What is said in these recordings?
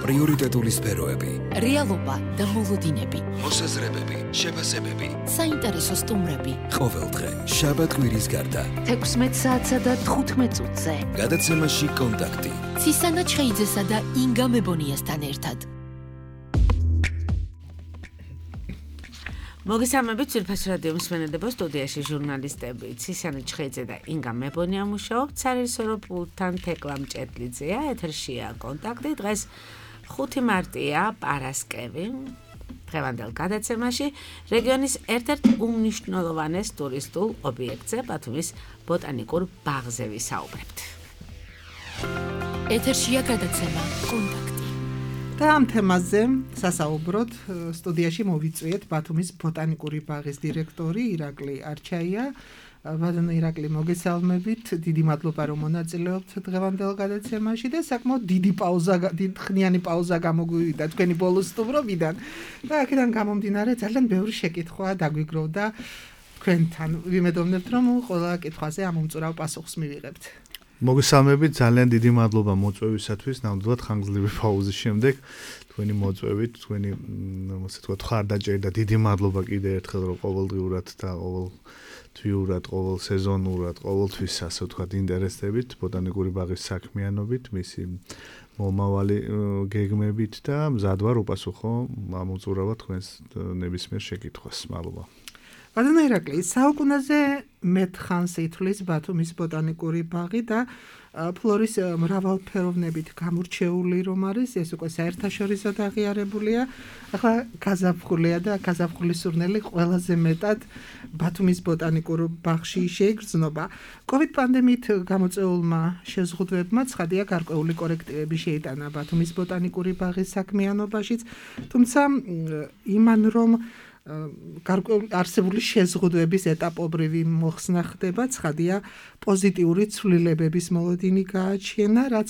პრიორიტეტული სფეროები, რეალობა და მოლოდინები, მოსაზრებები, შეფასებები, საინტერესო სტუმრები. ყოველდღე შაბათ-კვირის გარდა 16 საათსა და 15 წუთზე. გადაცემაში კონტაქტი. ცისანა ჩხეიძესა და ინგა მებონიასთან ერთად. მოგესალმებით ძვირფას რადიო მსმენელებო, სტუდიაში ჟურნალისტები ცისანა ჩხეიძე და ინგა მებონია მუშაობთ, სარეჟისორო პულტთან თეკლა მჭედლიძეა, ეთერშია კონტაქტი. დღეს 5 მარტია, პარასკევი. დღევანდელ გადაცემაში რეგიონის ერთ-ერთ უმნიშვნელოვანეს ტურისტულ ობიექტზე, ბათუმის ბოტანიკურ ბაღზე ვისაუბრებთ. ეთერშია გადაცემა კონტაქტი. და ამ თემაზე სასაუბროთ სტუდიაში მოვიწვიეთ ბათუმის ბოტანიკური ბაღის დირექტორი ირაკლი არჩაია. ბატონო ირაკლი, მოგესალმებით. დიდი მადლობა რომ მონაწილეობთ დღევანდელ გადაცემაში და საკმაოდ დიდი ხნიანი პაუზა გამოგვივიდა თქვენი ბოლო სტუმრობიდან. და აქედან გამომდინარე ძალიან ბევრი შეკითხვა დაგვიგროვდა თქვენთან. ვიმედოვნებთ რომ ყველა კითხვაზე ამ უმწურავ პასუხს მივიღებთ. მოგესალმებით, ძალიან დიდი მადლობა მოწვევისათვის. ნამდვილად ხანგრძლივი პაუზის შემდეგ თქვენი მოწვევით, თქვენი ასე ვთქვათ, ხარდაჭერი და დიდი მადლობა კიდევ ერთხელ რომ ყოველდღიურად და ყოველთვიურად, ყოველ სეზონურად, ყოველთვის ასე ვთქვათ, ინტერესდებით ბოტანიკური ბაღის საქმიანობით, მისი მომავალი გეგმებით და მზად ვარ უპასუხო ამ უწურავად თქვენს ნებისმიერ შეკითხვას. მადლობა. ბატონო ირაკლი, საუკუნეზე მეტხანს ითვლის ბათუმის ბოტანიკური ბაღი და ფლორის მრავალფეროვნებით გამორჩეული რომ არის, ეს უკვე საერთაშორისოდ აღიარებულია. ახლა გაზაფხულია და გაზაფხულის სურნელი ყველაზე მეტად ბათუმის ბოტანიკურ ბაღში შეიგრძნობა. COVID პანდემიით გამოწვეულმა შეზღუდვებმა ცხადია გარკვეული კორექტივები შეიტანა ბათუმის ბოტანიკური ბაღის საქმიანობაშიც, თუმცა იმან რომ არსებული შეზღუდვების ეტაპობრივი მოხსნა ხდება, ცხადია პოზიტიური ცვლილებების მოლოდინი გააჩნია, რაც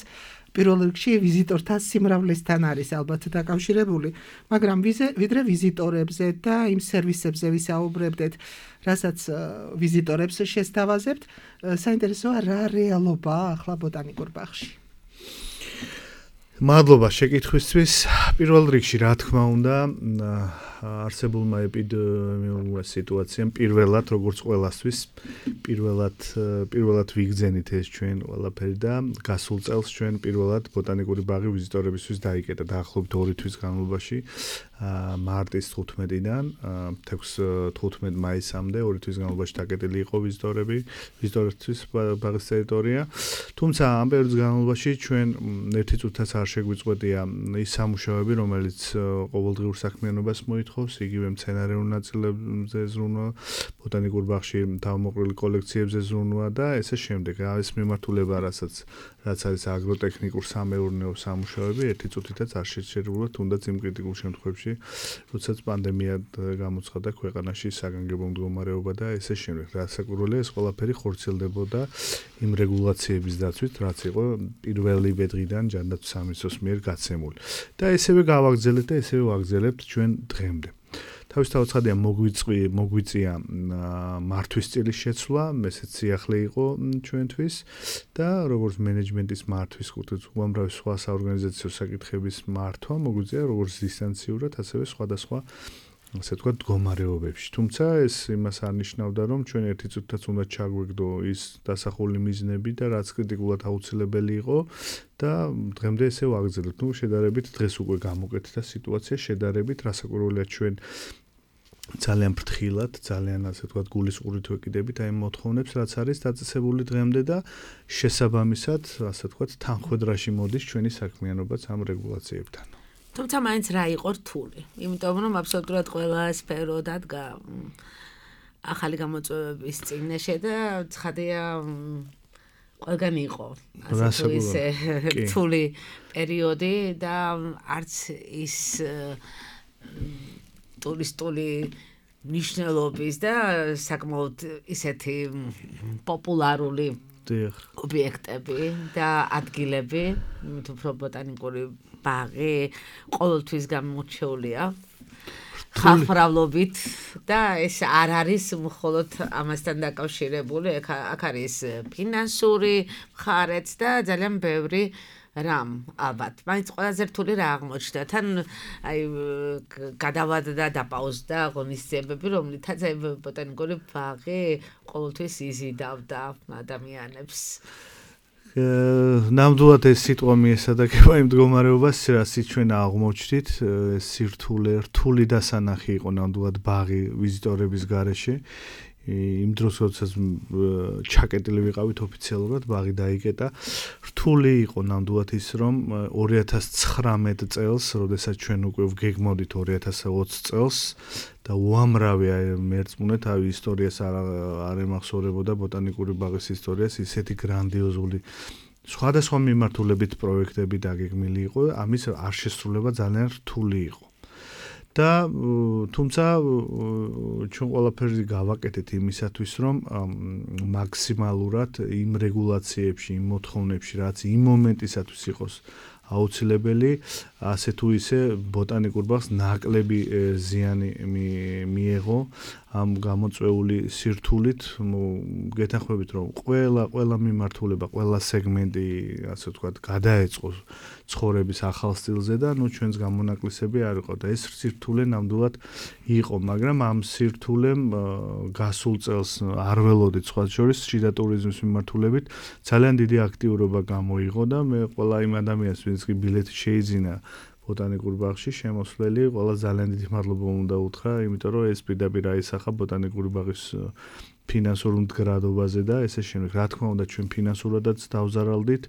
პირველ რიგში ვიზიტორთა სიმრავლესთან არის ალბათ დაკავშირებული, მაგრამ ვიდრე ვიზიტორებზე და იმ სერვისებზე ვისაუბრებდეთ, რასაც ვიზიტორებს შესთავაზებთ, საინტერესოა რა რეალობაა ახლა ბოტანიკურ ბაღში. მადლობა შეკითხვისთვის. პირველ რიგში რა თქმა უნდა, არსებულმა ეპიდემიურმა სიტუაციამ პირველად, როგორც ყველასთვის, პირველად ვიგრძენით ეს ჩვენ ყველაფერი და გასულ წელს ჩვენ პირველად ბოტანიკური ბაღი ვიზიტორებისთვის დაიკეტა დაახლოებით 2 თვის განმავლობაში, მარტის 15-დან 15 მაისამდე 2 თვის განმავლობაში დაკეტილი იყო ვიზიტორებისთვის ბაღის ტერიტორია. თუმცა ამ პერიოდის განმავლობაში ჩვენ ერთი წუთაც არ შეგვიწყვეტია ის სამუშაოები, რომელიც ყოველდღიურ საქმიანობას მოითხოვს, იგივე მცენარეულ ნაწილებზე ზრუნვა, ბოტანიკურ ბაღში თავმოყრილი კოლექციებზე ზრუნვა და ესე შემდეგ. ეს მიმართულება, რაც არის აგროტექნიკურ სამეურნეო სამუშაოები, ერთი წუთითაც არ შეჩერებულა, თუნდაც იმ კრიტიკულ შემთხვევებში, როდესაც პანდემია გამოცხადდა ქვეყანაში, საგანგებო მდგომარეობა და ესე შემდეგ. რასაკვირველია, ეს ყველაფერი ხორციელდებოდა იმ რეგულაციების დაცვით, რაც იყო პირველი დღიდან ჯანდაცვის სამინისტროს მიერ გაცემული. და ესევე გავაგრძელებთ და ესევე ვაგრძელებთ ჩვენ დღემდე. თავისთავად ცხადია მოგვიწია მართვის სტილის შეცვლა, ესეც სიახლე იყო ჩვენთვის და როგორც მენეჯმენტის მართვის კუთხით უამრავი სხვა საორგანიზაციო საკითხების მართვა მოგვიწია როგორც დისტანციურად, ასევე სხვადასხვა ასე ვთქვათ მდგომარეობებში. თუმცა ეს იმას არ ნიშნავდა, რომ ჩვენ ერთი წუთაც უნდა ჩაგვეგდო ის დასახული მიზნები და რაც კრიტიკულად აუცილებელი იყო და დღემდე ესე ვაგრძელებთ. შედარებით დღეს უკვე გამოკეთდა სიტუაცია, შედარებით რასაკვირველია ჩვენ ძალიან ფრთხილად, ძალიან ასე ვთქვათ გულისყურით ვეკიდებით აი მოთხოვნებს, რაც არის დაწესებული დღემდე და შესაბამისად, ასე ვთქვათ, თანხვედრაში მოდის ჩვენი საქმიანობაც ამ რეგულაციებთან. თუმცა მაინც რა იყო რთული, იმიტომ რომ აბსოლუტურად ყველა სფერო დადგა ახალი გამოწვევების წინაშე და ცხადია ყველგან იყო ასე ისე რთული პერიოდი და არც ის ტურისტული ნიშნულობის და საკმაოდ ისეთი პოპულარული ობიექტები და ადგილები, უფრო ბოტანიკური ბაღი ყოველთვის გამორჩეულია ხალხმრავლობით და ეს არ არის მხოლოდ ამასთან დაკავშირებული, აქ არის ფინანსური მხარეც და ძალიან ბევრი რამ ალბათ მაინც ყველაზე რთული რა აღმოჩნდა თან აი გადავადდა დაპაუზდა ღონისძიებები რომლითაც აი ბოტანიკური ბაღი ყოველთვის იზიდავდა ადამიანებს ნამდვილად ეს სიტყვა მიესადაგება იმ მდგომარეობას რასაც ჩვენ აღმოჩნდით სირთულე რთული დასანახი იყო ნამდვილად ბაღი ვიზიტორების გარეშე იმ დროს როდესაც ჩაკეტილი ვიყავით ოფიციალურად ბაღი დაიკეტა რთული იყო ნამდვილად ის რომ 2019 წელს როდესაც ჩვენ უკვე ვგეგმოდით 2020 წელს და უამრავი მერწმუნეთ ავი ისტორიას არ ემახსოვრებოდა ბოტანიკური ბაღის ისტორიას ისეთი გრანდიოზული სხვადასხვა მიმართულებით პროექტები დაგეგმილი იყო ამის არ შესრულება ძალიან რთული იყო და თუმცა ჩვენ ყველაფერი გავაკეთეთ იმისათვის რომ მაქსიმალურად იმ რეგულაციებში იმ მოთხოვნებში რაც იმ მომენტისათვის იყოს აუცილებელი ასე თუ ისე ბოტანიკურ ბაღს ნაკლები ზიანი მიეღო ამ გამოწვეული სირთულით გეთანხმებით რომ ყველა მიმართულება ყველა სეგმენტი ასე ვთქვათ გადაეწყო ცხოვრების ახალ სტილზე და ნუ ჩვენს გამონაკლისები არ იყო და ეს სირთულე ნამდვილად იყო მაგრამ ამ სირთულემ გასულ წელს არ ველოდით სხვა შორის შიდა ტურიზმის მიმართულებით ძალიან დიდი აქტიურობა გამოიღო და მე ყველა იმ ადამიანს ვინც კი ბილეთი შეიძინა ბოტანიკურ ბაღში შემოსვლელი ყველა ძალიან დიდი მადლობა უნდა უთხრა იმიტომ რომ ეს პირდაპირ აისახა ბოტანიკური ბაღის ფინანსურ მდგრადობაზე და ესე შემდეგ რა თქმა უნდა ჩვენ ფინანსურადაც დავზარალდით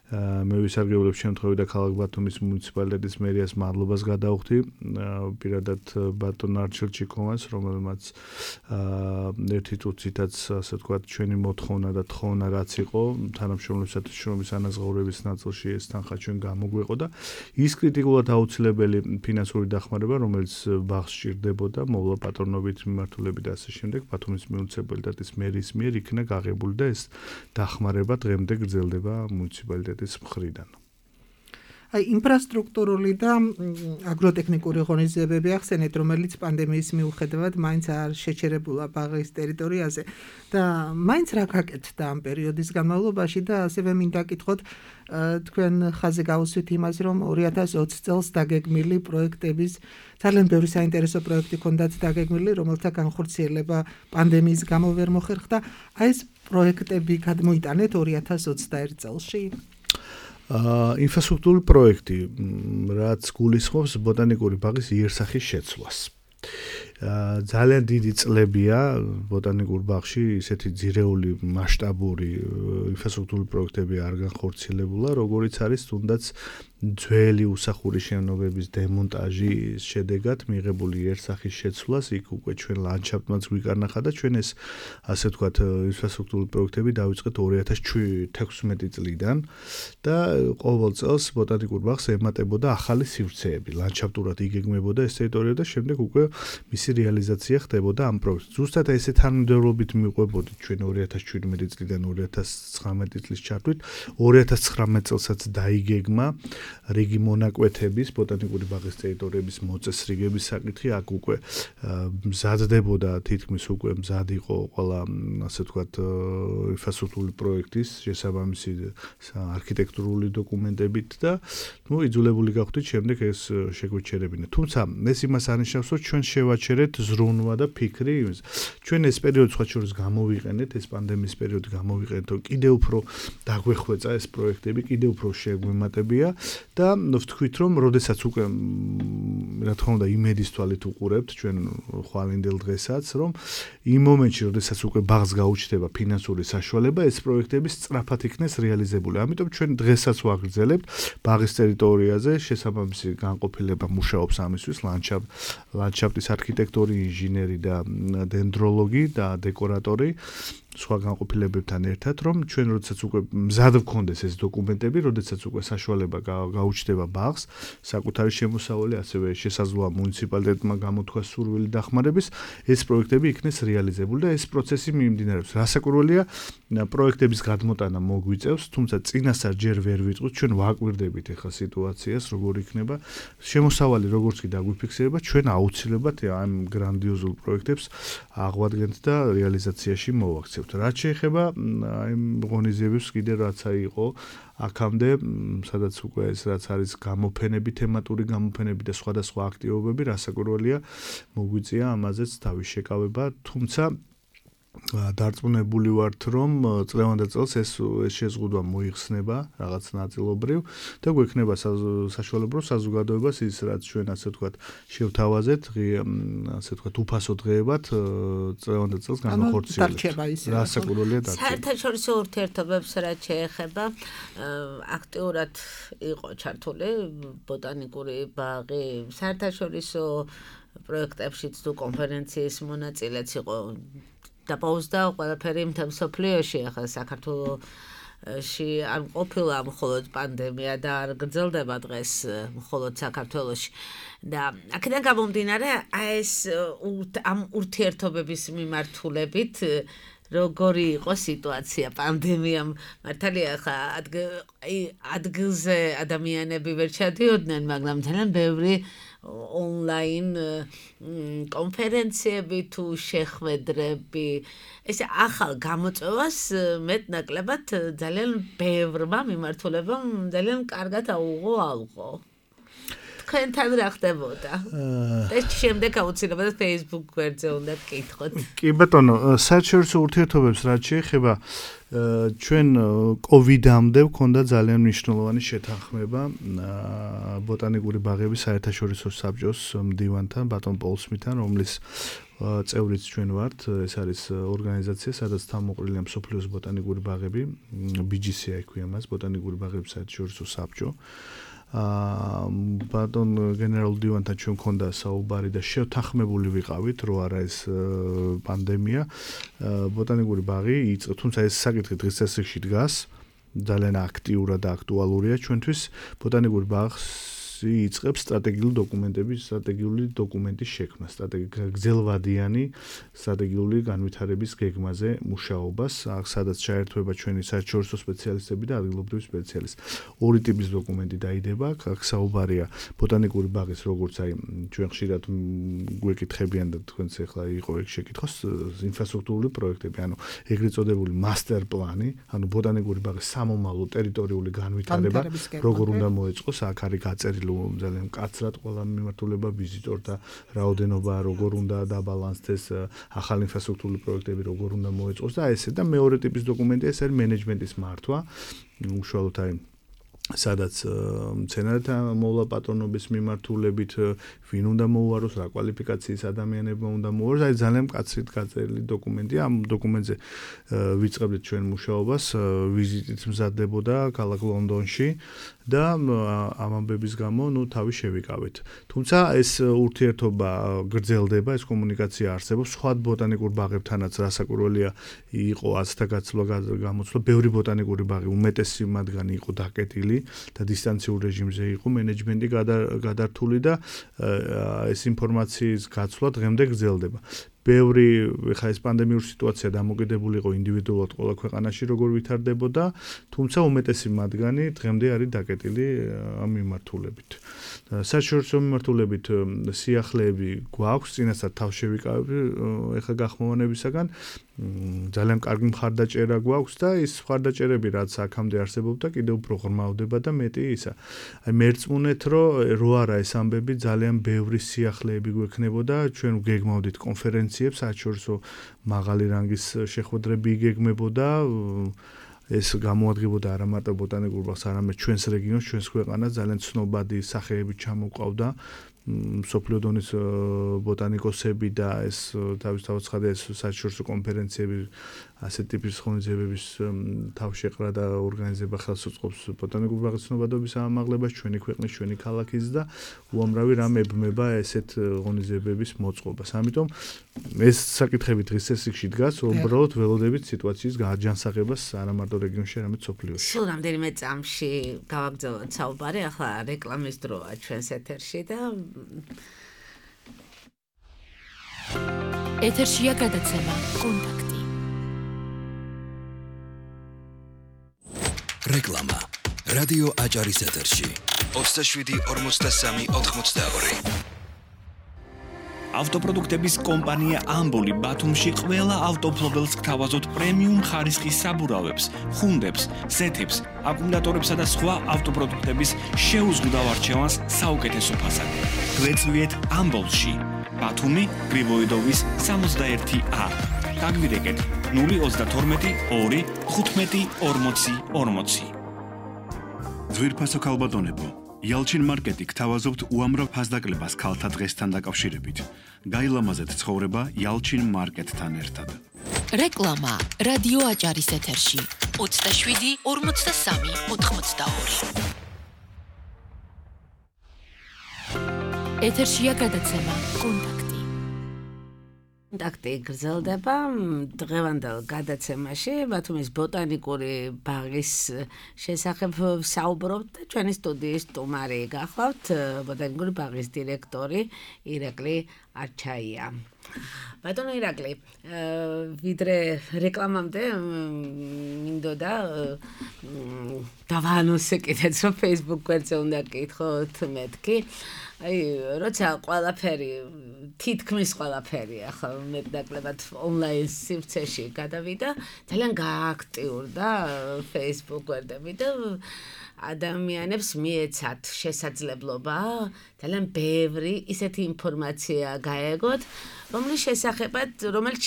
მე ვისარგებლებ შემთხვევით და ქალაქ ბათუმის მუნიციპალიტეტის მერიას მადლობას გადავხდი პირადად ბატონ არჩილ ჩიკოვანს რომელმაც ერთი წუთითაც ასე ვთქვათ ჩვენი მოთხოვნა და თხოვნა რაც იყო თანამშრომლებისათვის შრომის ანაზღაურების ნაწილში ეს თანხა ჩვენ გამოგვეყო და ის კრიტიკულად აუცილებელი ფინანსური დახმარება რომელიც ბაღს სჭირდებოდა მოვლა პატრონობით მიმართულებით და ასე შემდეგ ბათუმის მუნიციპალიტეტის მერის მიერ იქნა გაღებული და ეს დახმარება დღემდე გრძელდება მუნიციპალიტეტის მხრიდან. აი ინფრასტრუქტურული და აგროტექნიკური ღონისძიებები ახსენეთ, რომელიც პანდემიის მიუხედავად მაინც არ შეჩერებულა ბაღის ტერიტორიაზე და მაინც რა გაკეთდა ამ პერიოდის განმავლობაში და ასევე მინდა გითხოთ თქვენ ხაზი გავუსვით იმას, რომ 2020 წელს დაგეგმილი პროექტების ძალიან ბევრი საინტერესო პროექტი ჰქონდათ დაგეგმილი, რომელთა განხორციელება პანდემიის გამო ვერ მოხერხდა. აი ეს პროექტები გადმოიტანეთ 2021 წელში? ინფრასტრუქტურული პროექტი, რაც გულისხმობს ბოტანიკური ბაღის იერსახის შეცვლას. ძალიან დიდი წლებია ბოტანიკურ ბაღში ისეთი ძირეული მასშტაბური ინფრასტრუქტურული პროექტები არ განხორციელებულა, როგორიც არის თუნდაც ძველი უსახური შენობების დემონტაჟის შედეგად მიღებული იერსახის შეცვლას, იქ უკვე ჩვენ ლანდშაფტმაც გვიკარნახა და ჩვენ ეს ასე ვთქვათ ინფრასტრუქტურული პროექტები დავიწყეთ 2016 წლიდან და ყოველ წელს ბოტანიკურ ბაღს ემატებოდა ახალი სივრცეები, ლანდშაფტურად იგეგმებოდა ეს ტერიტორია და შემდეგ უკვე მისი რეალიზაცია ხდებოდა ამ პროექტს. ზუსტად ესე თანმიმდევრობით მიყვებოდით ჩვენ 2017 წლიდან 2019 წლის ჩათვლით, 2019 წელსაც დაიგეგმა რიგი მონაკვეთების ბოტანიკური ბაღის ტერიტორიების მოწესრიგების საკითხი, აქ უკვე მზადდებოდა თითქმის უკვე მზად იყო ყველა ასე ვთქვათ ინფრასტრუქტურული პროექტის შესაბამისი არქიტექტურული დოკუმენტებით და ნუ იძულებული გავხდით შემდეგ ეს შეგვეჩერებინა. თუმცა ეს იმას არნიშნავს, რომ ჩვენ შევაჩერეთ ზრუნვა და ფიქრი იმის. ჩვენ ეს პერიოდი სხვა შორის გამოვიყენეთ, ეს პანდემიის პერიოდი გამოვიყენეთ, რომ კიდევ უფრო დაგვეხვეწა ეს პროექტები, კიდევ უფრო შეგვემატებია და ვთქვით, რომ როდესაც უკვე რა თქმა უნდა იმედის თვალით უყურებთ ჩვენ ხვალინდელ დღესაც, რომ იმ მომენტში, როდესაც უკვე ბაღს გაუჩნდება ფინანსური საშუალება, ეს პროექტები სწრაფად იქნეს რეალიზებული. ამიტომ ჩვენ დღესაც ვაგრძელებთ ბაღის ტერიტორიაზე შესაბამისი განყოფილება მუშაობს ამისთვის, ლანდშაფტის არქიტექტორი, ინჟინერი და დენდროლოგი და დეკორატორი სხვა განყოფილებებთან ერთად, რომ ჩვენ როდესაც უკვე მზად ვქონდეს ეს დოკუმენტები, როდესაც უკვე საშუალება გაუჩნდება ბაღს, საკუთარი შემოსავალი, ასევე შესაძლოა მუნიციპალიტეტმა გამოთქვა სურვილი დახმარების, ეს პროექტები იქნეს რეალიზებული და ეს პროცესი მიმდინარეობს. რასაკვირველია, პროექტების გადმოტანა მოგვიწევს, თუმცა წინასწარ ჯერ ვერ ვიტყვით, ჩვენ ვაკვირდებით ახლა სიტუაციას, როგორ იქნება შემოსავალი, როგორც კი დაგვიფიქსირება, ჩვენ აუცილებლად ამ გრანდიოზულ პროექტებს აღვადგენთ და რეალიზაციაში მოვაქცევთ. ვიმუშავებთ. რაც შეეხება აი ღონისძიებებს კიდე რაც იყო აქამდე, სადაც უკვე ეს რაც არის გამოფენები, თემატური გამოფენები და სხვადასხვა აქტივობები, რასაკვირველია, მოგვიწია ამაზეც თავის შეკავება, თუმცა დარწმუნებული ვართ, რომ წლევანდელ წელს ეს შეზღუდვა მოიხსნება რაღაც ნაწილობრივ და გვექნება საშუალება საზოგადოებას ის რაც ჩვენ ასე ვთქვათ შევთავაზეთ, ასე ვთქვათ უფასო დღეებად წლევანდელ წელს განახორციელებთ. რასაკვირველია დარჩება. საერთაშორისო ურთიერთობებს რაც შეეხება, აქტიურად იყო ჩართული ბოტანიკური ბაღი, საერთაშორისო პროექტებშიც თუ კონფერენციის მონაწილეც იყო დაპაუზდა ყველაფერი მთელ მსოფლიოში, ახლა საქართველოში არ ყოფილა მხოლოდ პანდემია და არ გრძელდება დღეს მხოლოდ საქართველოში და აქედან გამომდინარე ეს ამ ურთიერთობების მიმართულებით როგორი იყო სიტუაცია პანდემიამ მართალია ხა ადგილზე ადამიანები ვერ ჩადიოდნენ, მაგრამ ძალიან ბევრი ონლაინ კონფერენციები თუ შეხვედრები ეს ახალ გამოწვევას მეტნაკლებად ძალიან ბევრმა მიმართულებამ ძალიან კარგად აუღო ალყო. თქვენთან რა ხდებოდა? ეს შემდეგ აუცილებლად Facebook გვერდზე უნდა გკითხოთ. კი ბატონო, საერთაშორისო ურთიერთობებს რაც შეეხება ჩვენ COVID-მდე გვქონდა ძალიან მნიშვნელოვანი შეთანხმება ბოტანიკური ბაღების საერთაშორისო საბჭოს მდივანთან, ბატონ პოლ სმითთან, რომლის წევრიც ჩვენ ვართ. ეს არის ორგანიზაცია, სადაც თავმოყრილია მსოფლიოს ბოტანიკური ბაღები, BGC ექვია მას, ბოტანიკური ბაღების საერთაშორისო საბჭო. ბატონ გენერალ დივანთან ჩვენ მქონდა საუბარი და შევთანხმებული ვიყავით, რომ არა ეს პანდემია, ბოტანიკური ბაღი იწყო, თუმცა ეს საკითხი დღის წესრიგში დგას, ძალიან აქტიურად და აქტუალურია ჩვენთვის. ბოტანიკური ბაღს იწყებს სტრატეგიული დოკუმენტის შექმნა, გრძელვადიანი სტრატეგიული განვითარების გეგმაზე მუშაობას, სადაც ჩაერთვება ჩვენი საერთაშორისო სპეციალისტები და ადგილობრივი სპეციალისტები. ორი ტიპის დოკუმენტი დაიდება, აქ საუბარია ბოტანიკური ბაღის, როგორც აი ჩვენ ხშირად გვეკითხებიან და თქვენც ახლა იყო ეგ შეკითხოს, ინფრასტრუქტურული პროექტები, ანუ ეგრეთ წოდებული მასტერ პლანი, ანუ ბოტანიკური ბაღის სამომავლო ტერიტორიული განვითარება, როგორ უნდა მოეწყოს, აქ არის გაწერილი ძალიან მკაცრად ყველა მიმართულება, ვიზიტორთა რაოდენობა როგორ უნდა დაბალანსდეს, ახალი ინფრასტრუქტურული პროექტები როგორ უნდა მოეწყოს და ესე და მეორე ტიპის დოკუმენტია, ეს არის მენეჯმენტის მართვა, უშუალოდ აი სადაც მცენარეთა მოვლა პატრონობის მიმართულებით ვინ უნდა მოუაროს, რა კვალიფიკაციის ადამიანებმა უნდა მოუაროს, აი ძალიან მკაცრად გაწერილი დოკუმენტია. ამ დოკუმენტზე ვიწყებდით ჩვენ მუშაობას, ვიზიტით მზადდებოდა ქალაქ ლონდონში და ამ ამბების გამო თავი შევიკავით. თუმცა ეს ურთიერთობა გრძელდება, ეს კომუნიკაცია არსებობს სხვა ბოტანიკურ ბაღებთანაც, რასაკვირველია იყო აცთა გამოცვლა, ბევრი ბოტანიკური ბაღი, უმეტესი მათგანი იყო დაკეტილი და დისტანციურ რეჟიმზე იყო მენეჯმენტი გადართული და ეს ინფორმაციის გაცვლა დღემდე გრძელდება. ბევრი ხა ეს პანდემიური სიტუაცია დამოკიდებული იყო ინდივიდუალურად ყველა ქვეყანაში როგორ ვითარდებოდა, თუმცა უმეტესი მათგანი დღემდე არის დაკეტილი ამ მიმართულებით. საერთაშორისო მიმართულებით სიახლეები გვაქვს, წინასწარ თავშევიკავებ ეხა გახმოვანებისაგან ძალიან კარგი მხარდაჭერა გვაქვს და ის მხარდაჭერები რაც აქამდე არსებობდა კიდევ უფრო ღრმავდება და მეტი ისა. აი მერწმუნეთ რომ რო არა ეს ამბები ძალიან ბევრი სიახლეები გვექნებოდა, ჩვენ გეგმავდით კონფერენციებს, საერთაშორისო მაღალი რანგის შეხვედრები იგეგმებოდა, ეს გამოადგებოდა არა მარტო ბოტანიკურ ბაღს, არამედ ჩვენს რეგიონს, ჩვენს ქვეყანას ძალიან ცნობადი სახეები ჩამოყავდა. მსოფლიო დონის ბოტანიკოსები და ეს თავისთავად ცხადია ეს საერთაშორისო კონფერენციები ასეთ ტიპის ღონისძიებების თავშეყრა და ორგანიზება ხელს უწყობს ბოტანიკური ბაღის ცნობადობის ამაღლებას ჩვენი ქვეყნის, ჩვენი ქალაქის და უამრავი რამ ებმება ესეთ ღონისძიებების მოწყობას. ამიტომ ეს საკითხები დღის წესრიგში დგას, უბრალოდ ველოდებით სიტუაციის გააჯანსაღებას არა მარტო რეგიონში, არამედ სოფლიოში. სულ რამდენიმე წამში გავაგრძელოთ საუბარი, ახლა რეკლამის დროა ჩვენს ეთერში და ეთერშია გადაცემა კონტაქტი. რეკლამა. რადიო აჭარის ეთერში. 27 43 82. ავტოპროდუქტების კომპანია ამბოლი ბათუმში ყველა ავტოფლობელს გთავაზობთ პრემიუმ ხარისხის საბურავებს, ხუნდებს, ზეთებს, აკუმულატორებსა და სხვა ავტოპროდუქტების შეუზღუდავ არჩევანს საუკეთესო ფასად. გვეწვიეთ ამბოლში, ბათუმი, გრიბოიდოვის 61A. გაგვირეკეთ 032 2 15 40 40. ძვირფასო ქალბატონებო, იალჩინ მარკეტი გთავაზობთ უამრავ ფასდაკლებას ქალთა დღესთან დაკავშირებით. გაილამაზეთ ცხოვრება იალჩინ მარკეტთან ერთად. რეკლამა რადიო აჭარის ეთერში 27 43 82. ეთერშია გადაცემა კონტაქტი. კონტაქტი გრძელდება დღევანდელ გადაცემაში ბათუმის ბოტანიკური ბაღის შესახებ საუბრობთ და ჩვენი სტუდიის სტუმარი გახლავთ ბოტანიკური ბაღის დირექტორი ირაკლი არჩაია. ბატონო ირაკლი, ვიდრე რეკლამამდე მინდოდა დავაანონსე კიდეც რომ Facebook გვერდზე უნდა გკითხოთ მეთქი. როცა ყველაფერი თითქმის ყველაფერი ახლა მეტნაკლებად ონლაინ სივრცეში გადავიდა, ძალიან გააქტიურდა Facebook გვერდები და ადამიანებს მიეცათ შესაძლებლობა ძალიან ბევრი ისეთი ინფორმაცია გაეგოთ, რომელიც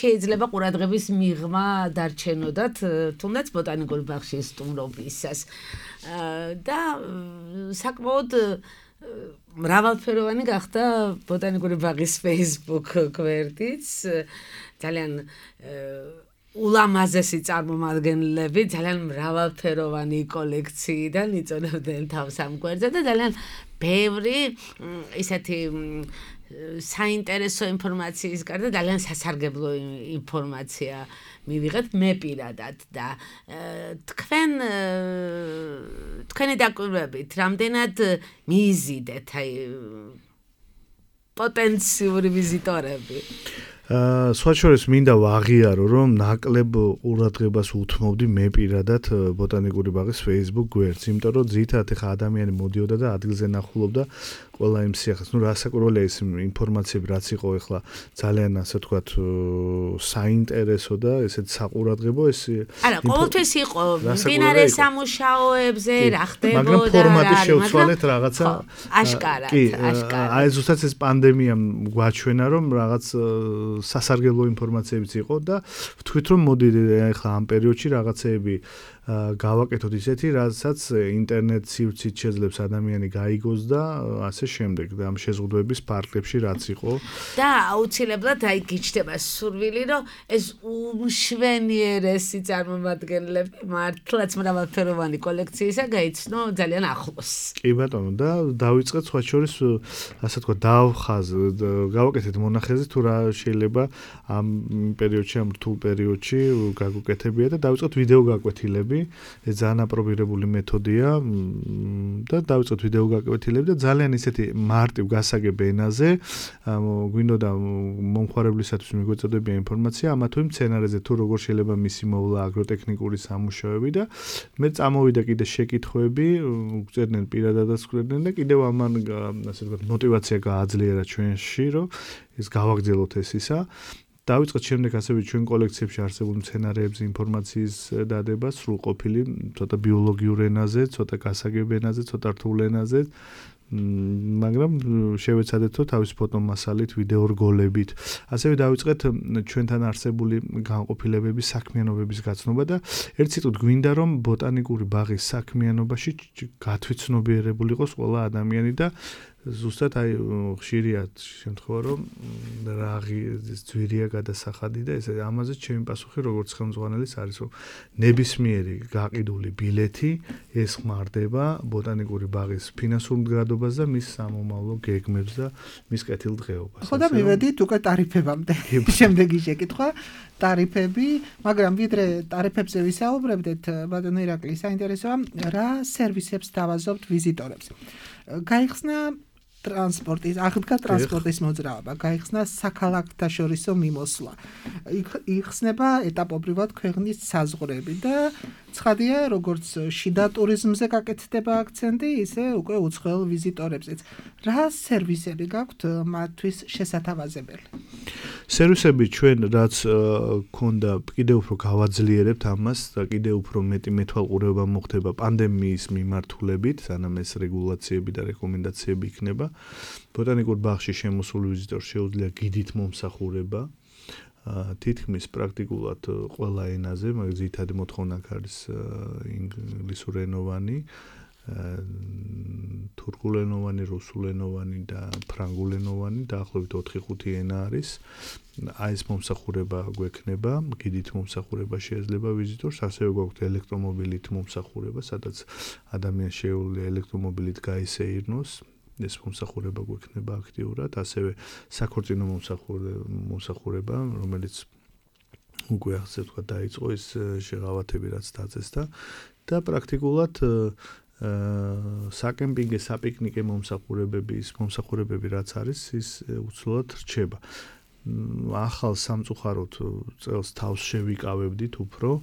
შეიძლება ყურადღების მიღმა დარჩენოდათ თუნდაც ბოტანიკურ ბაღში სტუმრობისას. და საკმაოდ მრავალფეროვანი გახდა ბოტანიკური ბაღის Facebook გვერდიც, ძალიან ულამაზესი წარმომადგენლები, ძალიან მრავალფეროვანი კოლექციიდან იწონებდნენ თავს ამ გვერდზე და ძალიან ბევრი ისეთი საინტერესო ინფორმაციის გარდა ძალიან სასარგებლო ინფორმაცია მივიღეთ მე პირადად და თქვენი დაკვირვებით რამდენად მიიზიდეთ პოტენციური ვიზიტორები? სხვა შორის მინდა ვაღიარო, რომ ნაკლებ ყურადღებას უთმობდი მე პირადად ბოტანიკური ბაღის Facebook გვერდს, იმიტომ რომ ძირითადად ეხა ადამიანი მოდიოდა და ადგილზე ნახულობდა ყველა იმ სიახლეს. რასაკვირველია ის ინფორმაციები, რაც იყო ეხლა ძალიან ასე ვთქვათ საინტერესო და ესეთ საყურადღებო ეს არა, ყოველთვის იყო მდინარე სამუშაოებზე რა ხდებოდა, მაგრამ ფორმატი შევცვალეთ რაღაცა აშკარად. აი ზუსტად ეს პანდემიამ გვაჩვენა, რომ რაღაც სასარგებლო ინფორმაციებიც იყო და ვთქვით რომ მოდი ახლა ამ პერიოდში რაღაცეები გავაკეთოთ ისეთი, რასაც ინტერნეტ სივრცით შეძლებს ადამიანი გაიგოს და ასე შემდეგ და ამ შეზღუდვების პარკლებში რაც იყო და აუცილებლად გიჩნდება სურვილი, რომ ეს უმშვენიერესი წარმომადგენლები მართლაც მრავალფეროვანი კოლექციისა გაიცნო ძალიან ახლოს. კი ბატონო და დავიწყეთ სხვა შორის ასე თქვა გავაკეთეთ მონახაზი თუ რა შეიძლება ამ პერიოდში ამ რთულ პერიოდში გაგუკეთებია და დავიწყეთ ვიდეო გაკვეთილები. ეს ძალიან აპრობირებული მეთოდია და დავიწყეთ ვიდეო გაკვეთილები და ძალიან ისეთი მარტივ გასაგებ ენაზე გვინდოდა მომხმარებლისათვის მიგვეწოდებია ინფორმაცია ამა თუ იმ სცენარეზე თუ როგორ შეიძლება მისი მოვლა აგროტექნიკური სამუშაოები და მე წამოვიდა კიდე შეკითხვები გვწერდნენ პირადადაც გვწერდნენ და კიდევ ამან ასე ვთქვათ მოტივაცია გააძლიერა ჩვენში რომ ეს გავაგრძელოთ ეს ისა დავიწყეთ შემდეგ ასევე ჩვენ კოლექციებში არსებულ სცენარეებზე ინფორმაციის დადება სრულყოფილი, ცოტა ბიოლოგიურ ენაზე, ცოტა გასაგებ ენაზე, ცოტა რთულ ენაზე, მაგრამ შევეცადეთო თავის ფოტომასალით, ვიდეო რგოლებით. ასევე დავიწყეთ ჩვენთან არსებული განყოფილებების საქმიანობების გაცნობა და ერთ სიტყვით გვინდა რომ ბოტანიკური ბაღის საქმიანობაში გათვითცნობიერებული იყოს ყველა ადამიანი და ზუსტად აი ხშირია შემთხვევა რომ რაღი ძვირია გადასახადი და ეს ამაზე ჩემი პასუხი როგორც ხელმძღვანელის არის რომ ნებისმიერი გაყიდული ბილეთი ესხმარდება ბოტანიკური ბაღის ფინანსურ მდგრადობას და მის სამომავლო გეგმებს და მის კეთილდღეობას. ხო და მივედით უკვე ტარიფებამდე. შემდეგი შეკითხვა ტარიფები, მაგრამ ვიდრე ტარიფებზე ვისაუბრებდეთ, ბატონო ირაკლი, საინტერესოა რა სერვისებს თავაზობთ ვიზიტორებს. გაიხსნა ტრანსპორტის, აღდგა ტრანსპორტის მოძრაობა, გაიხსნა საქალაქთაშორისო მიმოსვლა. იხსნება ეტაპობრივად ქვეყნის საზღვრები და ცხადია, როგორც შიდა ტურიზმზე გაკეთდება აქცენტი, ისე უკვე უცხოელ ვიზიტორებზეც. რა სერვისები გაქვთ მათთვის შესათავაზებელი? სერვისები ჩვენ რაც ქონდა კიდევ უფრო გავაძლიერებთ ამას და კიდევ უფრო მეტი მეთვალყურეობა მოხდება პანდემიის მიმართულებით, სანამ ეს რეგულაციები და რეკომენდაციები იქნება. ბოტანიკურ ბაღში შემოსული ვიზიტორს შეუძლია გიდით მომსახურება. თითქმის პრაქტიკულად ყველა ენაზე, მაგრამ ძირითადი მოთხოვნა არის ინგლისურენოვანი, თურქულენოვანი, რუსულენოვანი და ფრანგულენოვანი, დაახლოებით 4-5 ენა არის. აი ეს მომსახურება გვექნება, გიდით მომსახურება შეიძლება ვიზიტორს, ასევე გვაქვს ელექტრომობილით მომსახურება, სადაც ადამიანს შეუძლია ელექტრომობილით გაისეირნოს. ეს მომსახურება გვექნება აქტიურად, ასევე საქორწინო მომსახურება, რომელიც უკვე ასე ვთქვათ დაიწყო ის შეღავათები რაც დაწესდა და პრაქტიკულად საკემპინგე, საპიკნიკე მომსახურებები რაც არის, ის უცვლელად რჩება. ახალ სამწუხაროდ წელს თავს შევიკავებდით უფრო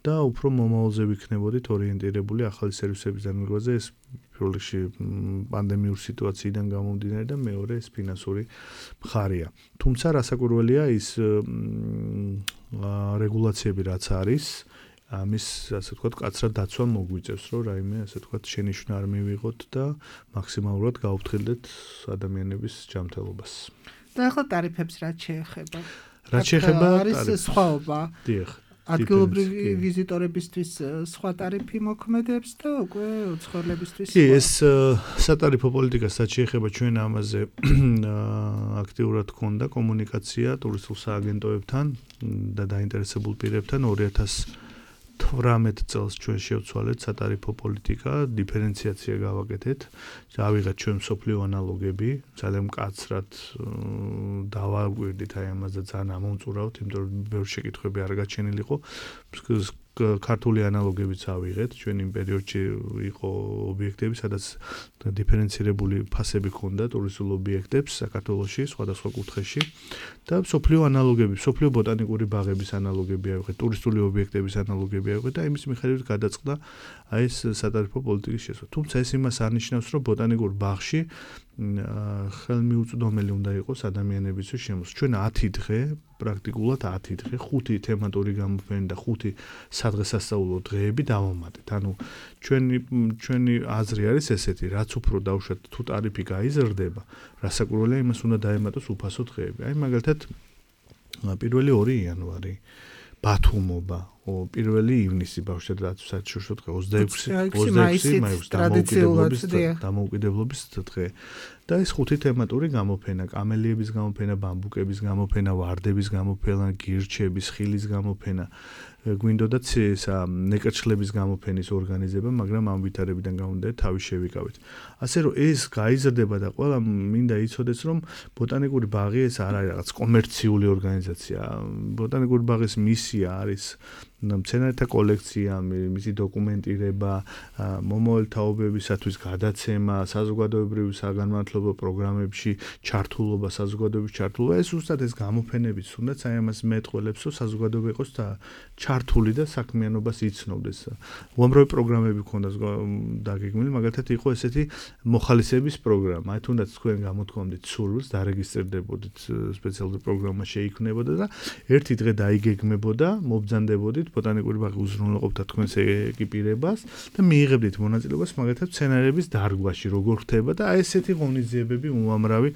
და უფრო მომავალზე ვიქნებოდით ორიენტირებული ახალი სერვისების დანერგვაზე. ეს პირველ რიგში პანდემიური სიტუაციიდან გამომდინარე და მეორე ეს ფინანსური მხარეა. თუმცა რასაკვირველია ის რეგულაციები რაც არის, ამის ასე ვთქვათ კაცრად დაცვა მოგვიწევს, რომ რაიმე ასე ვთქვათ შენიშვნა არ მივიღოთ და მაქსიმალურად გავუფრთხილდეთ ადამიანების ჯანმრთელობას. და ახლა ტარიფებს რაც შეეხება? რაც შეეხება არის სხვაობა. დიახ. ადგილობრივი ვიზიტორებისთვის სხვა ტარიფი მოქმედებს და უკვე უცხოელებისთვის კი, ეს სატარიფო პოლიტიკას რაც შეეხება ჩვენ ამაზე აქტიურად გქონდა კომუნიკაცია ტურისტულ სააგენტოებთან და დაინტერესებულ პირებთან 2018 წელს ჩვენ შევცვალეთ სატარიფო პოლიტიკა, დიფერენციაცია გავაკეთეთ, ავიღეთ ჩვენ მსოფლიო ანალოგები, ძალიან მკაცრად დავაგვირდით აი ამაზე ძალიან ამომწურავთ, იმიტომ რომ ბევრი შეკითხვები არ გაჩენილიყო. ქართული ანალოგებიც ავიღეთ, ჩვენ იმ პერიოდში იყო ობიექტები, სადაც დიფერენცირებული ფასები ჰქონდა ტურისტულ ობიექტებს საქართველოში, სხვადასხვა კუთხეში და მსოფლიო ანალოგები, მსოფლიო ბოტანიკური ბაღების ანალოგები ავიღეთ, ტურისტული ობიექტების ანალოგები ავიღეთ და იმის მიხედვით გადაწყდა აი ეს სატარიფო პოლიტიკის შესწავლა. თუმცა ეს იმას არნიშნავს, რომ ბოტანიკურ ბაღში ხელმიუწვდომელი უნდა იყოს ადამიანებისთვის შემოსვლა. ჩვენ 10 დღე, პრაქტიკულად 10 დღე, 5 თემატური გამოფენა და 5 სადღესასწაულო დღეები დავამატეთ. ანუ ჩვენი აზრი არის ესეთი, რაც უფრო დავუშვათ თუ ტარიფი გაიზრდება, რასაკვირველია იმას უნდა დაემატოს უფასო დღეები. აი მაგალითად 1 იანვარი ბათუმობა, 1 ივნისი ბავშვთა საერთაშორისო დღე 26 მაისს დამოუკიდებლობის დღე. და ეს 5 თემატური გამოფენა, კამელიების გამოფენა, ბამბუკების გამოფენა, ვარდების გამოფენა, გირჩების, ხილის გამოფენა, გვინდოდათ ნეკერჩხლების გამოფენის ორგანიზება, მაგრამ ამ ვითარებიდან გამომდინარე თავი შევიკავით. ასე რომ ეს გაიზრდება და ყველა მინდა იცოდეს, რომ ბოტანიკური ბაღი ეს არ არის რაღაც კომერციული ორგანიზაცია. ბოტანიკური ბაღის მისია არის მცენარეთა კოლექცია, მისი დოკუმენტირება, მომავალ თაობებისათვის გადაცემა, საზოგადოებრივი საგანმანათლებლო პროგრამებში ჩართულობა, საზოგადოების ჩართულობა. ეს უბრალოდ ეს გამოფენებიც თუნდაც აი ამას მეტყველებს, რომ საზოგადოება იყოს ჩართული და საქმიანობას იცნობდეს. უამრავი პროგრამები ქონდა დაგეგმილი, მაგალითად იყო ესეთი მოხალისეების პროგრამა. აი თუნდაც თქვენ გამოთქვამდით სურვილს, დარეგისტრდებოდით სპეციალური პროგრამა შეიქმნებოდა და ერთი დღე დაიგეგმებოდა, მობრძანდებოდით ბოტანიკური ბაღი უზრუნველყოფდა თქვენს ეკიპირებას და მიიღებდით მონაწილეობას მაგალითად მცენარეების დარგვაში, როგორ ხდება და აი ესეთი ღონისძიებები უამრავი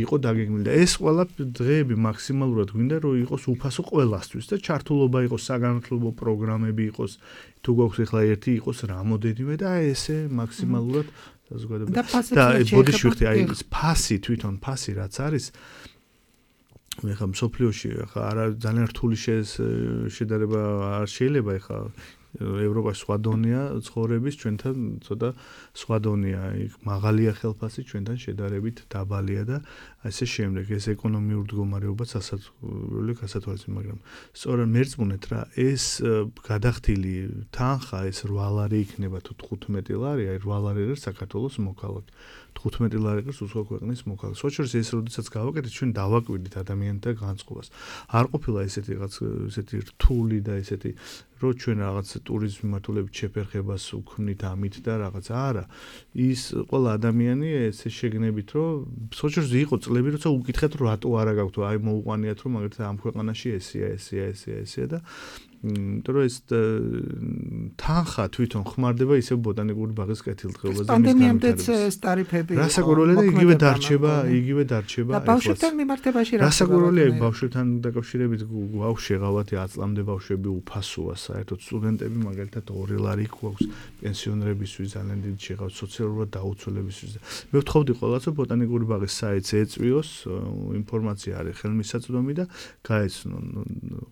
იყო დაგეგმილი და ეს ყველა დღეები მაქსიმალურად გვინდა რომ იყოს უფასო ყველასთვის და ჩართულობა იყოს საგანმანათლებლო პროგრამები იყოს თუ გვაქვს ახლა ერთი იყოს რამოდენიმე და აი ესე მაქსიმალურად საზოგადოება და ბოდიშვიხტი აი ეს ფასი თვითონ ფასი რაც არის ეხლა მსოფლიოში ეხლა არა ძალიან რთული შედარება არ შეიძლება ეხლა ევროპაში სხვა დონეა ცხოვრების, ჩვენთან ცოტა სხვა დონეა, იქ მაღალია ხელფასი, ჩვენთან შედარებით დაბალია და ასე შემდეგ. ეს ეკონომიური მდგომარეობა გასათვალისწინებელია, მაგრამ სწორედ მერწმუნეთ რა, ეს გადახდილი თანხა, ეს 8 ლარი იქნება თუ 15 ლარი, აი 8 ლარი არის საქართველოს მოქალაქე. 15 ლარი არის უცხო ქვეყნის მოქალაქე. სწორედ ეს როდესაც გავაკეთეთ, ჩვენ დავაკვირდით ადამიანთა განწყობას. არ ყოფილა ესეთი რთული და ესეთი რო ჩვენ რაღაც ტურიზმის მიმართულებით შეფერხებას უქმნით ამით და რაღაც არა. ის ყველა ადამიანი ესე შეგნებით, რომ სწორედ იყო წლები, როცა უკითხეთ, რომ რატო არა გაქვთ, აი მოუყვანიათ, რომ მაგალითად ამ ქვეყანაში ესეა და იმიტომ რომ ეს თანხა თვითონ ხმარდება ისევ ბოტანიკური ბაღის კეთილდღეობაზე. პანდემიამდეც ეს ტარიფები იყო. რასაკვირველია და იგივე დარჩება. და ბავშვებთან მიმართებაში რა რასაკვირველია ბავშვებთან დაკავშირებით ბავშვი ეღავათ 10 წლამდე ბავშვები უფასოა საერთოდ სტუდენტები მაგალითად 2 ლარი გვაქვს პენსიონერებისთვის ძალიან დიდი შეღავთ სოციალურად დაუცველებისთვის. მე ვთხოვდი ყველას რომ ბოტანიკური ბაღის საიტს ეწვიოს ინფორმაცია არის ხელმისაწვდომი და გაეცნონ.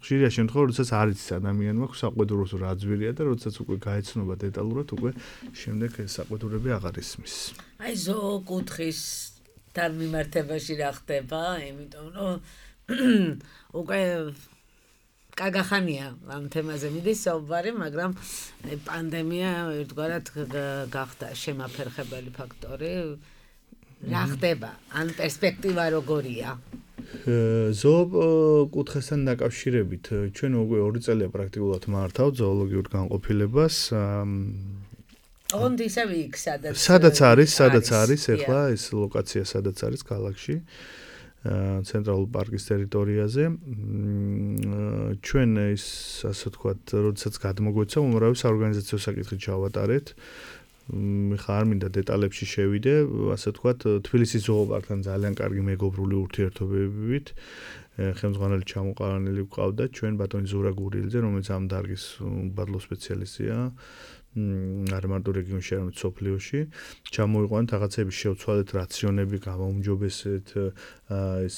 ხშირია შემთხვევა როდესაც არ იცის ადამიანმა საყვედუროს რა ძვირია და როდესაც უკვე გაეცნობა დეტალურად უკვე შემდეგ ეს საყვედურები აღარ ისმის. აი ზოოკუთხისთან მიმართებაში რა ხდება, იმიტომ რომ უკვე კაგახანია ამ თემაზე მიდის საუბარი, მაგრამ პანდემია ერთგვარად გახდა შემაფერხებელი ფაქტორი. რა ხდება? ან პერსპექტივა როგორია? ზოოკუთხესთან დაკავშირებით ჩვენ უკვე 2 წელია პრაქტიკულად მართავთ ზოოლოგიურ განყოფილებას. ოღონდ ისევ იქ სადაც არის ახლა ეს ლოკაცია სადაც არის ქალაქში ცენტრალურ პარკის ტერიტორიაზე. ჩვენ ის ასე ვთქვათ, როდესაც გადმოგვეცა უმრავი საორგანიზაციო საკითხი ჩავატარეთ. ხარ მინდა დეტალებში შევიდე, ასე ვთქვათ, თბილისის ზოოპარკთან ძალიან კარგი მეგობრული ურთიერთობებით ხელმძღვანელი ჩამოყალანილი გვყავდა ჩვენ ბატონი ზურა გურიელძე, რომელიც ამ დარგის უბადლო სპეციალისტია. არ მარტო რეგიონში, არამედ სოფლიოში. ჩამოიყვანეთ რაღაცები, შევცვალეთ რაციონები, გამაუმჯობესეთ ეს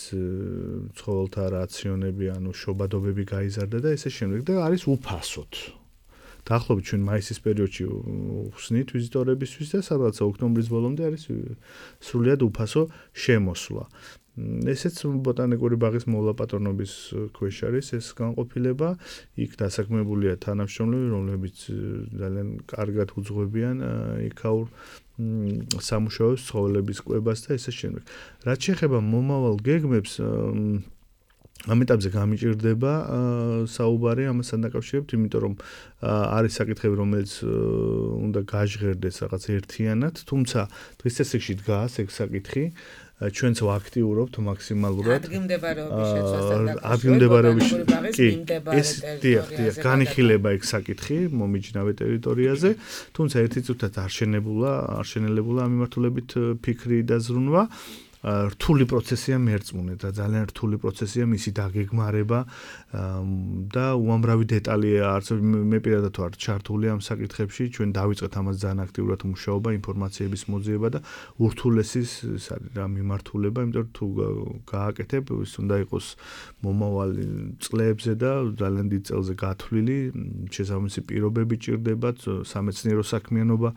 ცხოველთა რაციონები, ანუ შობადობები გაიზარდა და ესე შემდეგ და არის უფასოდ. დაახლოებით ჩვენ მაისის პერიოდში ხსნით ვიზიტორებისთვის და სადღაც ოქტომბრის ბოლომდე არის სრულიად უფასო შემოსვლა. ესეც ბოტანიკური ბაღის მოვლა-პატრონობის ქვეშ არის ეს განყოფილება. იქ დასაქმებულია თანამშრომლები, რომლებიც ძალიან კარგად უძღვებიან იქაურ სამუშაოს, ცხოველების კვებას და ესე შემდეგ. რაც შეეხება მომავალ გეგმებს, ამ ეტაპზე გამიჭირდება საუბარი ამასთან დაკავშირებით, იმიტომ რომ არის საკითხები, რომელიც უნდა გაჟღერდეს რაღაც ერთიანად, თუმცა დღის წესრიგში დგას ეგ საკითხი. ჩვენც ვაქტიურობთ მაქსიმალურად ადგილმდებარეობის განიხილება ეგ საკითხი მომიჯნავე ტერიტორიაზე, თუმცა ერთი წუთად არ შენელებულა ამ მიმართულებით ფიქრი და ზრუნვა. რთული პროცესია მერწმუნეთ და ძალიან რთული პროცესია მისი დაგეგმარება და უამრავი დეტალია არსებობს. მე პირადად ვარ ჩართული ამ საკითხებში, ჩვენ დავიწყეთ ამას ძალიან აქტიურად მუშაობა, ინფორმაციების მოძიება და ურთულესის რა მიმართულება, იმიტომ რომ თუ გააკეთებ, ის უნდა იყოს მომავალი წლებზე და ძალიან დიდ წელზე გათვლილი, შესაბამისი პირობები ჭირდებათ, სამეცნიერო საქმიანობა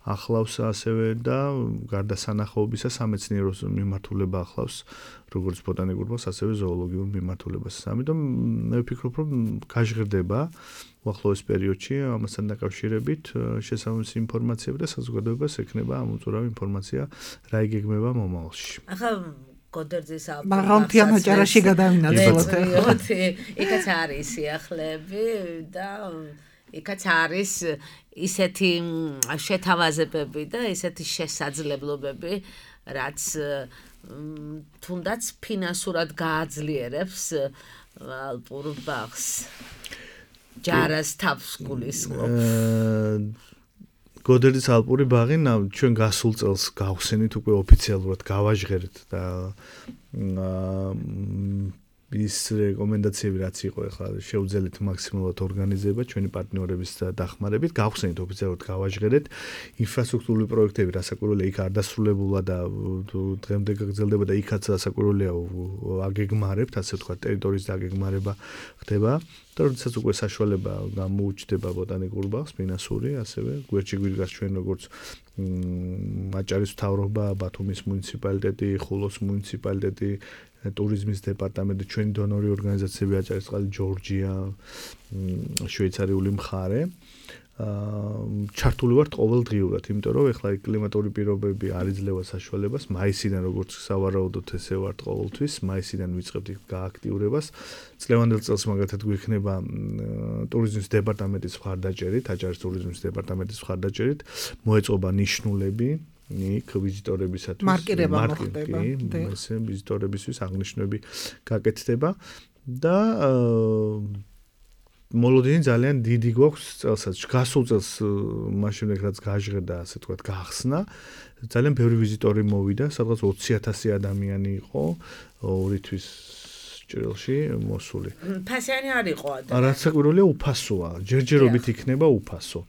ახლავს ასევე და გარდა სანახაობისა სამეცნიერო მიმართულება ახლავს როგორც ბოტანიკურ ბაღს, ასევე ზოოლოგიურ მიმართულებას. ამიტომ მე ვფიქრობ, რომ გაჟღერდება უახლოეს პერიოდში ამასთან დაკავშირებით შესაბამისი ინფორმაციები და საზოგადოებას ექნება ამ უწურავი ინფორმაცია რა იგეგმება მომავალში. ახლა გოდერძის მაღალმთიან აჭარაში გადავინაცვლოთ. იქაც არის სიახლეები და იქაც არის ისეთი შეთავაზებები და ისეთი შესაძლებლობები, რაც თუნდაც ფინანსურად გააძლიერებს ალპურ ბაღს. ჯარას თავს გულისხმობს. გოდერძის ალპური ბაღი ჩვენ გასულ წელს გავხსენით უკვე ოფიციალურად გავაჟღერეთ და ის რეკომენდაციები რაც იყო ახლა შევძელით მაქსიმალურად ორგანიზება ჩვენი პარტნიორების დახმარებით, გავხსენით ოფიციალურად გავაჟღერეთ ინფრასტრუქტურული პროექტები, რასაკვირველია იქ არ დასრულებულა და დღემდე გაგრძელდება და იქაც რასაკვირველია აგეგმარებთ, ასე ვთქვათ, ტერიტორიის დაგეგმარება ხდება. და როდესაც უკვე საშუალება გამოუჩნდება ბოტანიკურ ბაღს, ფინანსური, ასევე გვერდში გვიდგას ჩვენ როგორც აჭარის მთავრობა, ბათუმის მუნიციპალიტეტი, ხულოს მუნიციპალიტეტი, ტურიზმის დეპარტამენტი, ჩვენი დონორი ორგანიზაციები აჭარისწყალი, ჯორჯია, შვეიცარიული მხარე. ჩართული ვართ ყოველდღიურად, იმიტომ რომ ეხლა კლიმატური პირობები არ იძლევა საშუალებას, მაისიდან როგორც სავარაუდოდ ესე ვართ ყოველთვის, მაისიდან ვიწყებთ გააქტიურებას. წლევანდელ წელს მაგალითად გვექნება ტურიზმის დეპარტამენტის მხარდაჭერით, აჭარის ტურიზმის დეპარტამენტის მხარდაჭერით, მოეწყობა ნიშნულები იქ ვიზიტორებისათვის მარკირება მოხდება. ესე ვიზიტორებისთვის აღნიშნები გაკეთდება და მოლოდინი ძალიან დიდი გვაქვს წელსაც. გასულ წელს მაშინ რაც გაჟღერდა, ასე ვთქვათ, გახსნა. ძალიან ბევრი ვიზიტორი მოვიდა, სადღაც 20,000 ადამიანი იყო 2 თვის ჭრილში მოსული. ფასიანი არ იყო ადამიანი. რასაკვირველია უფასოა, ჯერჯერობით იქნება უფასო.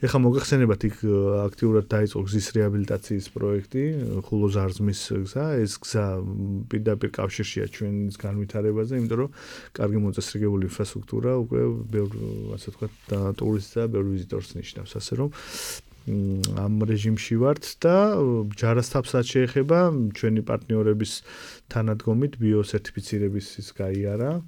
ეხლა მოგახსენებათ იქ აქტიურად დაიწყო გზის რეაბილიტაციის პროექტი, ხულო-ზარზმის გზა, ეს გზა პირდაპირ კავშირშია ჩვენს განვითარებაზე, იმიტომ რომ კარგი მოწესრიგებული ინფრასტრუქტურა უკვე ბევრ, ასე ვთქვათ, ტურისტს და ბევრ ვიზიტორს ნიშნავს, ასე რომ ამ რეჟიმში ვართ და ჯარასთაბსაც შეეხება ჩვენი პარტნიორების თანადგომით ბიოსერტიფიცირების ის გაიარა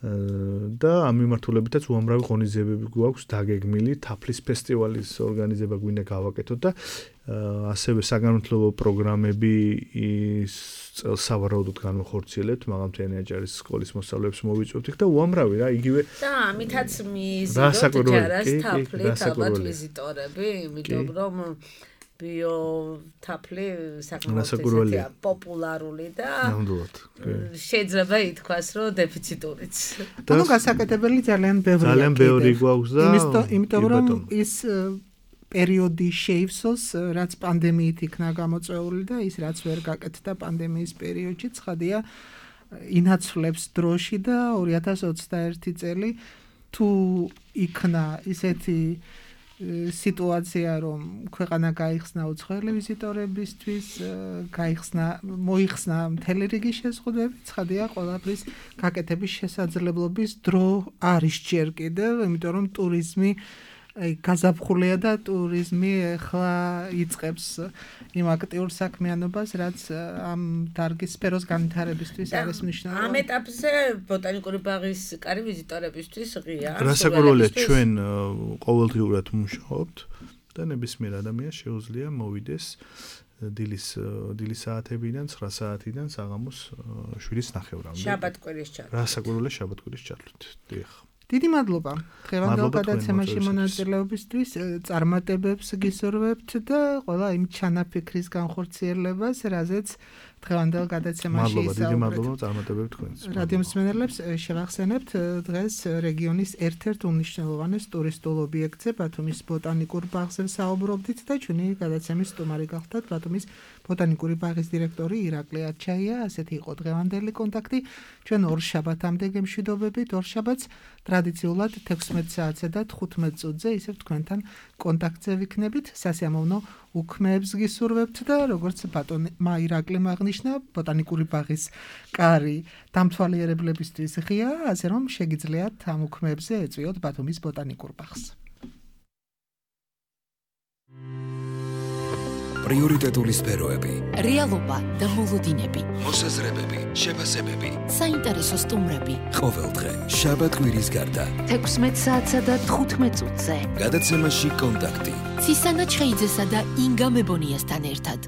და ამ მიმართულებითაც უამრავი ღონისძიებები გვაქვს დაგეგმილი, თაფლის ფესტივალის ორგანიზება გვინდა გავაკეთოთ და ასევე საგანმანათლებლო პროგრამები სავარაუდოდ განვახორციელებთ, მაღალმთიანი აჭარის სკოლის მოსწავლეებს მოვიწვევთ იქ და უამრავი რა, იგივე და ამითაც მიზიდოთ ჯარასთაფლით ალბათ ვიზიტორები, იმიტომ რომ ბიოთაფლი საკმაოდ პოპულარული და შეიძლება ითქვას, რომ დეფიციტურიც. ანუ გასაკეთებელი ძალიან ბევრია. ძალიან ბევრი გვაქვს და იმიტომ რომ ის პერიოდი შეივსოს, რაც პანდემიით იქნა გამოწვეული და ის რაც ვერ გაკეთდა პანდემიის პერიოდში, ცხადია ინაცვლებს დროში და 2021 წელი თუ იქნა ისეთი სიტუაცია, რომ ქვეყანა გაიხსნა უცხოელი ვიზიტორებისთვის, მოიხსნა მთელი რიგი შეზღუდვები, ცხადია ყველაფრის გაკეთების შესაძლებლობის დრო არის ჯერ კიდევ, იმიტომ რომ ტურიზმი გაზაფხულია და ტურიზმი ახლა იწყებს იმ აქტიურ საქმიანობას, რაც ამ დარგის სფეროს განვითარებისთვის არის მნიშვნელოვანი. ამ ეტაპზე ბოტანიკური ბაღის კარი ვიზიტორებისთვის ღია. რასაკვირველია, ჩვენ ყოველდღიურად მუშაობთ და ნებისმიერ ადამიანს შეუძლია მოვიდეს დილის საათებიდან 9 საათიდან საღამოს 7:30-მდე. შაბათ-კვირის ჩათვლით. რასაკვირველია შაბათ-კვირის ჩათვლით. დიახ. დიდი მადლობა. დღევანდელ გადაცემაში მონაწილეობისთვის წარმატებებს გისურვებთ და ყველა იმ ჩანაფიქრის განხორციელებას, რაზეც დღევანდელ გადაცემაში ისაუბრეთ. დიდი მადლობა წარმატებებს თქვენს. რადიო მსმენელებს შევახსენებთ დღეს რეგიონის ერთ-ერთ უმნიშვნელოვანეს ტურისტულ ობიექტზე, ბათუმის ბოტანიკურ ბაღზე საუბრობდით და ჩვენი გადაცემის სტუმარი გახლდათ ბათუმის ბოტანიკური ბაღის დირექტორი ირაკლი არჩაია. ასეთი იყო დღევანდელი კონტაქტი. ჩვენ ორ შაბათამდე გემშვიდობებით, ორ შაბათს ტრადიციულად 16 საათზე და 15 წუთზე ისევ თქვენთან კონტაქტზე ვიქნებით. სასიამოვნო უქმეებს გისურვებთ და როგორც ბატონმა ირაკლიმ აღნიშნა, ბოტანიკური ბაღის კარი დამთვალიერებლებისთვის ღია, ასე რომ შეგიძლიათ ამ უქმეებზე ეწვიოთ ბათუმის ბოტანიკურ ბაღს. პრიორიტეტული სფეროები, რეალობა და მოლოდინები, მოსაზრებები, შეფასებები, საინტერესო სტუმრები. ყოველდღე შაბათ-კვირის გარდა 16 საათსა და 15 წუთზე. გადაცემაში კონტაქტი. ცისანა ჩხეიძესა და ინგა მებონიასთან ერთად.